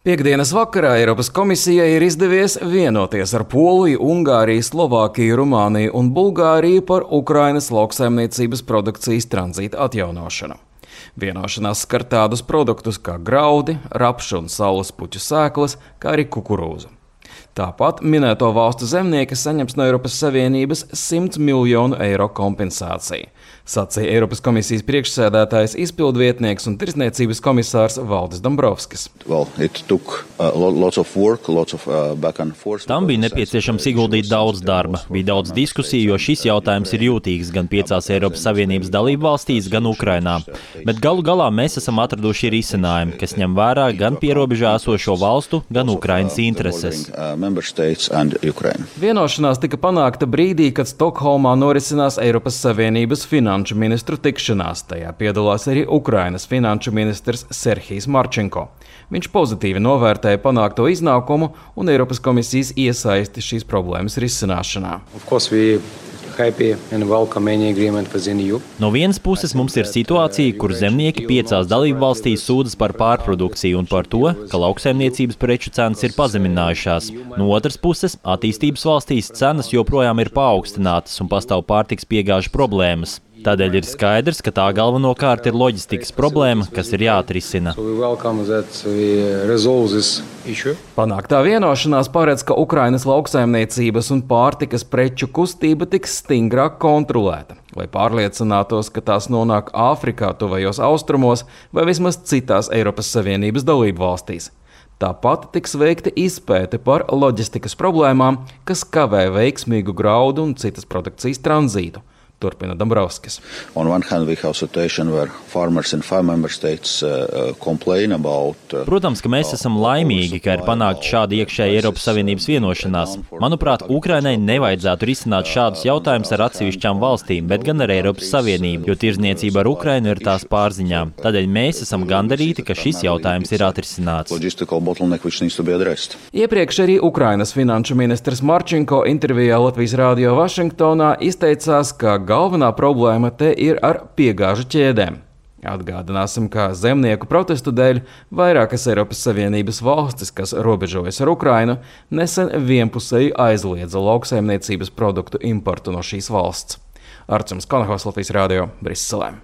Piektdienas vakarā Eiropas komisijai ir izdevies vienoties ar Poliju, Ungāriju, Slovākiju, Rumāniju un Bulgāriju par Ukrainas lauksaimniecības produkcijas tranzīta atjaunošanu. Vienošanās skar tādus produktus kā graudi, rapšu un saules puķu sēklas, kā arī kukurūzu. Tāpat minēto valstu zemnieki saņems no Eiropas Savienības 100 miljonu eiro kompensāciju, sacīja Eiropas komisijas priekšsēdētājs, izpildvietnieks un tirdzniecības komisārs Valdis Dombrovskis. Tam bija nepieciešams ieguldīt daudz darba, bija daudz diskusiju, jo šis jautājums ir jūtīgs gan 5 Eiropas Savienības dalību valstīs, gan Ukrainā. Bet galu galā mēs esam atraduši risinājumu, kas ņem vērā gan pierobežā esošo valstu, gan Ukrainas intereses. Vienošanās tika panākta brīdī, kad Stokholmā norisinās Eiropas Savienības finanšu ministru tikšanās. Tajā piedalās arī Ukrainas finanšu ministrs Serhijs Marčenko. Viņš pozitīvi novērtēja panākto iznākumu un Eiropas komisijas iesaisti šīs problēmas risināšanā. No vienas puses mums ir situācija, kur zemnieki 5 dalību valstīs sūdzas par pārprodukciju un par to, ka lauksaimniecības preču cenas ir pazeminājušās. No otras puses, attīstības valstīs cenas joprojām ir paaugstinātas un pastāv pārtikas piegāžu problēmas. Tādēļ ir skaidrs, ka tā galvenokārt ir loģistikas problēma, kas ir jāatrisina. Panāktā vienošanās paredz, ka Ukrainas lauksaimniecības un pārtikas preču kustība tiks stingrāk kontrolēta, lai pārliecinātos, ka tās nonāk Āfrikā, tuvajos austrumos vai vismaz citās Eiropas Savienības dalību valstīs. Tāpat tiks veikta izpēte par loģistikas problēmām, kas kavē veiksmīgu graudu un citas produkcijas tranzītu. Turpina Dombrovskis. Protams, ka mēs esam laimīgi, ka ir panākta šāda iekšēja Eiropas Savienības vienošanās. Manuprāt, Ukrainai nevajadzētu risināt šādus jautājumus ar atsevišķām valstīm, bet gan ar Eiropas Savienību, jo tirdzniecība ar Ukrainu ir tās pārziņā. Tādēļ mēs esam gandarīti, ka šis jautājums ir atrisināts. Iepriekš arī Ukrainas finanšu ministrs Marčenko intervijā Latvijas Rādio Vašingtonā izteicās, ka galvenā problēma te ir ar piegāžu ķēdēm. Atgādināsim, ka zemnieku protestu dēļ vairākas Eiropas Savienības valstis, kas robežojas ar Ukrainu, nesen vienpusēji aizliedza lauksaimniecības produktu importu no šīs valsts. Arčuns Konahaus, Latvijas Rādio, Briselē.